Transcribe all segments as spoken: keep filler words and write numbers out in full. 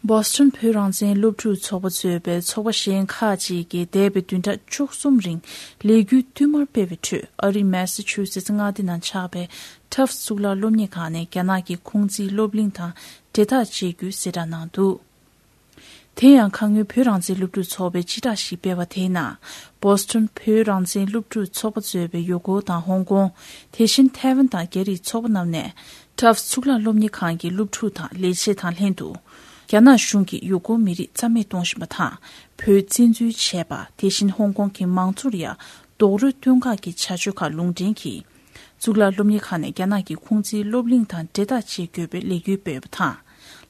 བོ་སི་ཊོན་བོད་རང་བཙན་སློབ་ཕྲུག་ཚོགས་པ་གཙོས་པའི་ཚོགས་པ་གཞན་ཁག་ཅིག་གིས་འདས་པའི་བདུན་ཕྲག་བཅུ་གསུམ་རིང་ལས་འགུལ་བསྟུད་མར་སྤེལ་བའི་ཁྲོད། ཨ་རིའི་མེ་སི་ཆུ་སེ་ཙི་མངའ་སྡེ་ནང་ཆགས་པའི་ཊབ་སི་གཙུག་ལག་སློབ་གཉེར་ཁང་ནས་རྒྱ་ནག་གི་ཁུང་ཙིའི་སློབ་གླིང་དང་འབྲེལ་ཐག་བཅད་རྒྱུའི་གསལ་བསྒྲགས་གནང་འདུག་དེ་ཡང་ཁ་སྔོན་བོད་རང་བཙན་སློབ་ཕྲུག་ཚོགས་པས་སྤྱི་བསྒྲགས་ཤིག་སྤེལ་བ་དེའི་ནང་། བོ་སི་ཊོན་བོད་རང་བཙན་སློབ་ཕྲུག་ཚོགས་པ་གཙོས་པའི་ཡུ་གུར་དང་ཧོང་ཀོང་། དེ་བཞིན་ཐའེ་ཝན་དང་རྒྱ་རིགས་ཚོགས་པ་རྣམས་ནས། ཊབ་སི་གཙུག་ལག་སློབ་གཉེར་ཁང་གི་སློབ་ཕྲུག་དང་ལས་བྱེད་དང་ལྷན་དུ། རྒྱ་ནག་གཞུང་གིས་ཡུ་གུར་མི་རིགས་རྩ་མེད་གཏོང་བཞིན་པ་དང་། བོད་བཙན་འཛུལ་བྱས་པ། དེ་བཞིན་ཧོང་ཀོང་གི་མང་གཙོར་ཡང་རྡོག་རོལ་གཏོང་ཁག་གི་བྱ་སྤྱོད་ཁག་ལུང་འདྲེན་གྱིས། གཙུག་ལག་སློབ་གཉེར་ཁང་ནས་རྒྱ་ནག་གི་ཁུང་ཙིའི་སློབ་གླིང་དང་འབྲེལ་ཐག་བཅད་དགོས་པའི་ལས་འགུལ་སྤེལ་ཡོད་པ་དང་།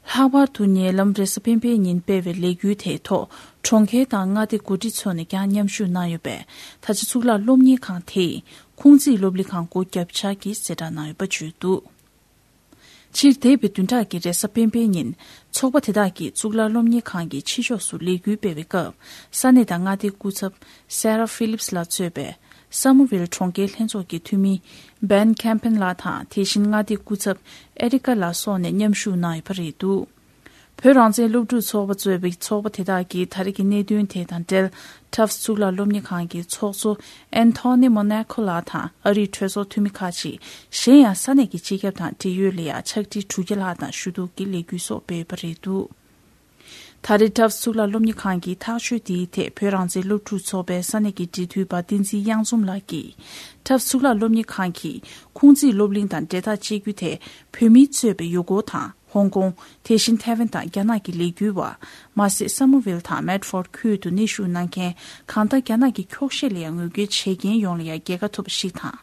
ལྷག་པར་དུ་ཉེ་ལམ་རེས་གཟའ་སྤེན་པའི་ཉིན་སྤེལ་བའི་ལས་འགུལ་དེའི་ཐོག་གྲོང་ཁྱེར་དང་མངའ་སྡེ་འགོ་ཁྲིད་ཚོ་ནས་ཀྱང་མཉམ་ཞུགས་གནང་ཡོད་པས། ད་ཆ་གཙུག་ལག་སློབ་གཉེར་ཁང་དེས་ཁུང་ཙིའི་སློབ་གླིང་ཁང་སྒོ་བརྒྱབ་འཆར་གྱི་གསལ་བསྒྲགས་གནང་ཡོད་པ་བརྗོད་འདུག་སྤྱིར་འདས་པའི་བདུན་ཕྲག་གི་རེས་གཟའ་སྤེན་པའི་ཉིན། ཚོགས་པ་དེ་དག་གིས་གཙུག་ལག་སློབ་གཉེར་ཁང་གི་ཕྱི་ཕྱོགས་སུ་ལས་འགུལ་སྤེལ་བའི་སྐབས། ས་གནས་དང་མངའ་སྡེའི་སྐུ་ཚབ་Sarah Phillips ལགས་གཙོས་པའི་Somerville གྲོང་ཁྱེར་ལྷན་ཚོགས་ཀྱི་འཐུས་མི་Ben Campin ལགས་དང་། དེ་བཞིན་མངའ་སྡེའི་སྐུ་ཚབ་Erica ལགས་སོགས་ནས་མཉམ་ཞུགས་གནང་ཡོད་པ་རེད་འདུག་བོད་རང་བཙན་སློབ་ཕྲུག་ཚོགས་པ་གཙོས་པའི་ཚོགས་པ་དེ་དག་གིས་ད་རེས་ཀྱི་གནད་དོན་དེ་དང་འབྲེལ། ཊབ་སི་གཙུག་ལག་སློབ་གཉེར་ཁང་གི་ཚོགས་གཙོ་Anthony Monaco ལགས་དང་། ཨ་རིའི་གྲོས་ཚོགས་འཐུས་མི་ཁག་ཅིག་གཞན་ཡང་ས་གནས་ཀྱི་སྤྱི་ཁྱབ་དང་འབྲེལ་ཡོད་ལ་ཡང་ཕྱག་བྲིས་དྲུག་བརྒྱ་ལྷག་དང་ཞུ་གཏུག་གི་ལས་འགུལ་སོགས་སྤེལ་ཡོད་པ་རེད་འདུག་ད་རེས་ཊབ་སི་གཙུག་ལག་སློབ་གཉེར་ཁང་གི་ཐག་གཅོད་འདིའི་ཐད་བོད་རང་བཙན་སློབ་ཕྲུག་ཚོགས་པའི་ས་གནས་ཀྱི་འབྲེལ་མཐུད་པ་བསྟན་འཛིན་གཡང་འཛོམས་ལགས་ཀྱིས། ཊབ་སི་གཙུག་ལག་སློབ་གཉེར་ཁང་གིས་ཁུང་ཙིའི་སློབ་གླིང་དང་འབྲེལ་ཐག་བཅད་རྒྱུ་དེ། བོད་མིས་གཙོས་པའི་ཡུ་གུར་དང་ཧོང་ཀོང་། དེ་བཞིན་ཐའེ་ཝན་དང་རྒྱ་ནག་གི་ལས་འགུལ་བ། མ་ཟད་སམ་མར་ཝིལ་དང་མེད་ཕོར་ཁུལ་དུ་གནས་བཞུགས་གནང་མཁན་གང་ལྟར་རྒྱ་ནག་གི་འཁྱོག་བཤད་ལ་ཡང་ངོ་རྒོལ་བྱེད་མཁན་ཡོངས་ལ་ཡང་རྒྱལ་ཁ་ཐོབ་པ་ཞིག་དང་།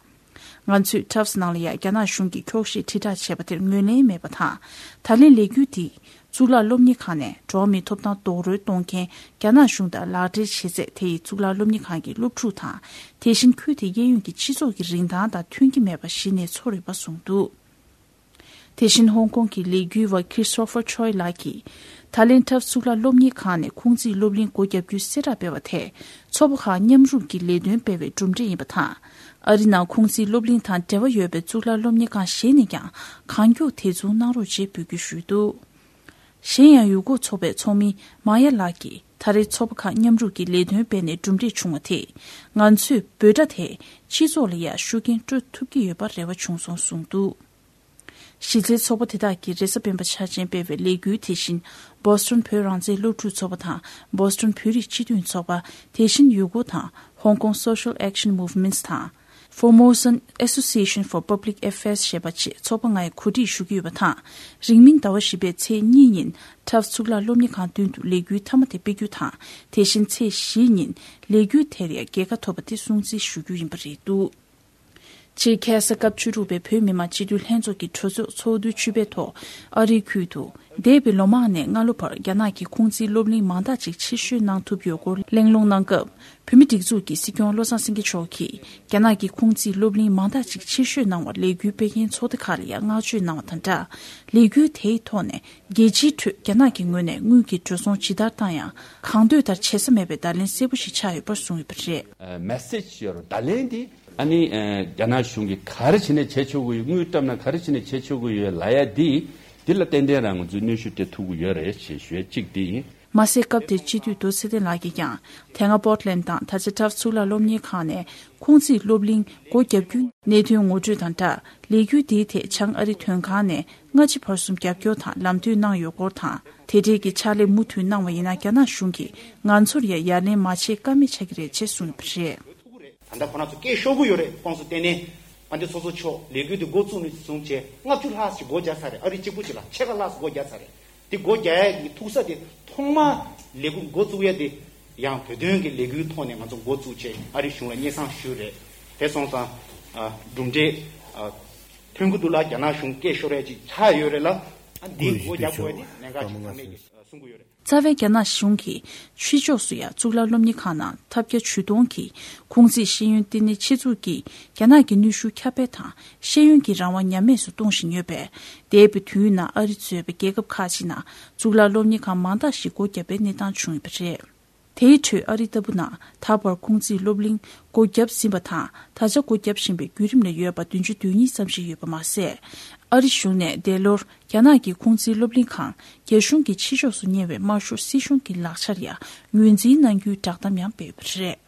ང་ཚོས་ཊབ་སི་ནང་ལ་ཡང་རྒྱ་ནག་གཞུང་གིས་འཁྱོག་བཤད་དྲིལ་བསྒྲགས་བྱས་པ་དེར་ངོས་ལེན་མེད་པ་དང་། ད་ལན་ལས་འགུལ་འདིས་གཙུག་ལག་སློབ་གཉེར་ཁང་ནས་འགྲོ་བ་མིའི་ཐོབ་ཐང་རྡོག་རོལ་གཏོང་མཁན་རྒྱ་ནག་གཞུང་དང་ལག་འབྲེལ་བྱེད་ཚད་དེ་ཡིས་གཙུག་ལག་སློབ་གཉེར་ཁང་གི་སློབ་ཕྲུག་དང་། དེ་བཞིན་ཁུལ་དེའི་གཡས་གཡོན་གྱི་སྤྱི་ཚོགས་ཀྱི་རིན་ཐང་དང་མཐུན་གྱི་མེད་པ་གཞི་ནས་ཚོར་ཡོད་པ་གསུངས་འདུག་དེ་བཞིན་ཧོང་ཀོང་གི་ལས་འགུལ་བ་Christopher Choi ལགས་ཀྱིས། ད་ལན་ཊབ་སི་གཙུག་ལག་སློབ་གཉེར་ཁང་ནས་ཁུང་ཙིའི་སློབ་གླིང་སྒོ་བརྒྱབ་རྒྱུའི་གསལ་བསྒྲགས་སྤེལ་བ་དེས། ཚོགས་པ་ཁག་མཉམ་རུབ་ཀྱིས་ལས་དོན་སྤེལ་བའི་གྲུབ་འབྲས་ཡིན་པ་དང་། ཨ་རི་ནང་ཁུང་ཙིའི་སློབ་གླིང་དང་འབྲེལ་བ་ཡོད་པའི་གཙུག་ལག་སློབ་གཉེར་ཁང་གཞན་ནས་ཀྱང་གང་མགྱོགས་དེ་མཚུངས་གནང་རོགས་ཅེས་འབོད་སྐུལ་ཞུས་འདུག་གཞན་ཡང་ཡུ་གུར་ཚོགས་པའི་ཚོགས་མི་མ་ཡ་ལགས་ཀྱིས། ད་རེས་ཚོགས་པ་ཁག་མཉམ་རུབ་ཀྱིས་ལས་དོན་སྤེལ་ནས་གྲུབ་འབྲས་བྱུང་བ་དེས། ང་ཚོས་འབོད་སྒྲ་དེས་སྤྱི་ཚོགས་ལ་ཡང་ཤུགས་རྐྱེན་སྤྲོད་ཐུབ་ཀྱི་ཡོད་པར་རེ་བ་བྱུང་སོང་གསུངས་འདུག་གཞི་རྩའི་ཚོགས་པ་དེ་དག་གིས་རེས་གཟའ་སྤེན་པ་འཆར་ཅན་སྤེལ་བའི་ལས་འགུལ་དེ་བཞིན། བོ་སི་ཊོན་བོད་རང་བཙན་སློབ་ཕྲུག་ཚོགས་པ་དང་། བོ་སི་ཊོན་བོད་རིགས་སྤྱི་མཐུན་ཚོགས་པ། དེ་བཞིན་ཡུ་གུར་དང་། Hong Kong Social Action Movements དང་། Formosan Association for Public Affairs ཞེས་པ་བཅས་ཚོགས་པ་ལྔས་གོ་སྒྲིག་ཞུ་གི་ཡོད་པ་དང་། རིང་མིན་ཟླ་བ་བཞི་པའི་ཚེས་གཉིས་ཉིན་ཊབ་སི་གཙུག་ལག་སློབ་གཉེར་ཁང་མདུན་དུ་ལས་འགུལ་མཐའ་མ་དེ་སྤེལ་རྒྱུ་དང་། དེ་བཞིན་ཚེས་བཞི་ཉིན་ལས་འགུལ་དེར་ཡང་རྒྱལ་ཁ་ཐོབ་པ་དེ་སྲུང་བརྩི་ཞུ་རྒྱུ་ཡིན་པ་རེད་འདུག་ཕྱིར་ཁ་སང་སྐབས་བཅུ་དྲུག་པའི་བོད་མི་མང་སྤྱི་འཐུས་ལྷན་ཚོགས་ཀྱི་གྲོས་ཚོགས་ཚོགས་དུས་བཅུ་པའི་ཐོག་ཨ་རིའི་ཁུལ་དུ། འདས་པའི་ལོ་མང་ནས་སྔ་ལོ་བར་རྒྱ་ནག་གིས་ཁུང་ཙིའི་སློབ་གླིང་མང་དག་ཅིག་ཕྱིར་བཤོལ་གནང་ཐུབ་ཡོད་སྐོར་གླེང་སློང་གནང་སྐབས། བོད་མི་སྒྲིག་འཛུགས་ཀྱི་སྲིད་སྐྱོང་བློ་བཟང་སེང་གེ་མཆོག་གིས། རྒྱ་ནག་གིས་ཁུང་ཙིའི་སློབ་གླིང་མང་དག་ཅིག་ཕྱིར་བཤོལ་གནང་བར་ལས་འགུལ་སྤེལ་མཁན་ཚོགས་སྡེ་ཁག་ལ་ཡང་བསྔགས་བརྗོད་གནང་བ་དང་སྦྲགས། ལས་འགུལ་དེའི་ཐོག་ནས་རྒྱལ་སྤྱིའི་ཁྲོད་རྒྱ་ནག་གི་ངོས་ནས་དངུལ་གྱི་འགྲོ་སོང་ཇི་ལྟར་བཏང་ཡང་། གང་འདོད་ལྟར་བྱེད་ས་མེད་པའི་བརྡ་ལན་གསལ་པོ་ཞིག་ཆགས་ཡོད་པར་གསུངས་ཡོད་པ་རེད། ཨ། མེ་སེ་ཇི་ཡོད་རེད། བརྡ་ལན་དེ། ཨ་ནི། ཨ། རྒྱ་ནག་གཞུང་གིས་ག་རེ་བྱས་ནས་བྱེད་ཆོག་གི་ཡོད། དངུལ་བཏབ་ན་ག་རེ་བྱས་ནས་བྱེད་ཆོག་གི་ཡོད་ལབ་ཡ་འདི། འདི་ལ་ཏན་ཏན་རང་ང་ཚོས་གནོན་ཤུགས་སྤྲད་ཐུབ་ཀྱི་ཡོད་རེད་ཅེས་ཞུ་ཡ་གཅིག་འདི་ཡིན། མ་ཟད་སྐབས་དེར་སྤྱི་འཐུས་རྡོ་ཚེ་བརྟན་ལགས་ཀྱིས་ཀྱང་། དེ་སྔ་པོར་ཊི་ལེན་དང་ད་ཆ་ཊབ་སི་གཙུག་ལག་སློབ་གཉེར་ཁང་ནས་ཁུང་ཙིའི་སློབ་གླིང་སྒོ་བརྒྱབ་རྒྱུའི་གནད་དོན་ངོ་སྤྲོད་དང་སྦྲགས། ལས་འགུལ་འདིའི་ཐད་བྱང་ཨ་རི་དོན་ཁང་ནས་སྔ་ཕྱི་བར་གསུམ་རྒྱབ་སྐྱོར་དང་ལམ་སྟོན་གནང་ཡོད་སྐོར་དང་། དེ་འབྲེལ་གྱི་ཕྱག་ལས་མུ་མཐུད་གནང་བ་ཡིན་ན། རྒྱ་ནག་གཞུང་གིས་ང་ཚོར་ཡང་ཡ་ལན་མ་བྱེད་ཀ་མེད་ཆགས་ཀྱི་རེད་ཅེས་གསུངས་ཡོད་པ་རེད། ད་ལྟ་ཁོ་རང་ཚོ་སྐད་ཤོར་གྱི་ཡོད་རེད། ཁོང་ཚོ་ལྟས་ནས་ཨ་འདི་ཚོ་ཚོ་ཆོག་ལས་འགུལ་འདི་འགོ་བཙུགས་ནས་བཟུང་བྱས་ལྔ་བཅུ་ལྷག་ཞིག་སྒོ་རྒྱག་ཚར་རེད། ཨ་རི་གཅིག་པུ་ཅིག་ལ་ཕྱེད་ཀ་ལྷག་ཙམ་སྒོ་རྒྱག་ཚར་རེད། དེ་སྒོ་རྒྱག་ཡ་གི་ཐུག་ས་དེ་ཐོག་མ་ལས་འགུལ་འགོ་བཙུགས་ཡ་དེ་ཡང་བོད་དོན་གྱི་ལས་འགུལ་ཐོག་ནས་ང་ཚོ་འགོ་བཙུགས་བྱས་ཨ་རི་གཞུང་ལ་སྙན་སེང་ཞུས་རེད། དེ་སོང་ཙང་ཨ་གྲུབ་འབྲས་ཨ་ཐོན་གྱི་འདུག་ལ། རྒྱ་ནག་གཞུང་སྐད་ཤོར་ཡ་ཅིག་ཆགས་ཡོད་རེད་ལ། ཨ་འདི་སྒོ་རྒྱག་དགོས་ཡ་དེ་གནད་འགག་ཅིག་ཚང་མས་ཀྱིས་གསུང་གི་ཡོད་རེད། རྩ་བའི་རྒྱ་ནག་གཞུང་གིས་ཕྱི་ཕྱོགས་སུ་ཡང་གཙུག་ལག་སློབ་གཉེར་ཁང་ནང་ཐབས་བརྒྱ་ཇུས་སྟོང་གིས་ཁུང་ཙིའི་ཤེས་ཡོན་བསྟི་གནས་ཆེད་འཛུགས་ཀྱིས་རྒྱ་ནག་གི་ནུས་ཤུགས་ཁྱབ་སྤེལ་དང་ཤེས་ཡོན་གྱི་རང་དབང་ཉམས་དམས་སུ་གཏོང་བཞིན་ཡོད་པས། འདས་པའི་དུས་ནང་ཨ་རི་གཙོས་པའི་རྒྱལ་ཁབ་ཁག་ཅིག་ནང་གཙུག་ལག་སློབ་གཉེར་ཁང་མང་དག་ཞིག་སྒོ་བརྒྱབ་པའི་གནས་སྟངས་བྱུང་ཡོད་པ་རེད། དེའི་ཁྲོད་ཨ་རི་ལྟ་བུ་ནང་ད་བར་ཁུང་ཙིའི་སློབ་གླིང་སྒོ་བརྒྱབ་ཟིན་པ་དང་། ད་ཆ་སྒོ་བརྒྱབ་བཞིན་པའི་བརྒྱུད་རིམ་ལ་ཡོད་པ་བདུན་ཅུ་དོན་གཉིས་ཙམ་ཞིག་ཡོད་པ་མ་ཟད། ཨ་རི་གཞུང་ནས་འདས་ལོར་རྒྱ་ནག་གི་ཁུང་ཙིའི་སློབ་གླིང་ཁང་རྒྱ་གཞུང་གི་ཕྱི་ཕྱོགས་སུ་གཉེར་བའི་དམར་ཤོག་སྲིད་གཞུང་གི་ལག་ཆར་ཡང་ངོས་འཛིན་གནང་རྒྱུའི་བསྒྲགས་གཏམ་ཡང་སྤེལ་ཡོད་པ་རེད།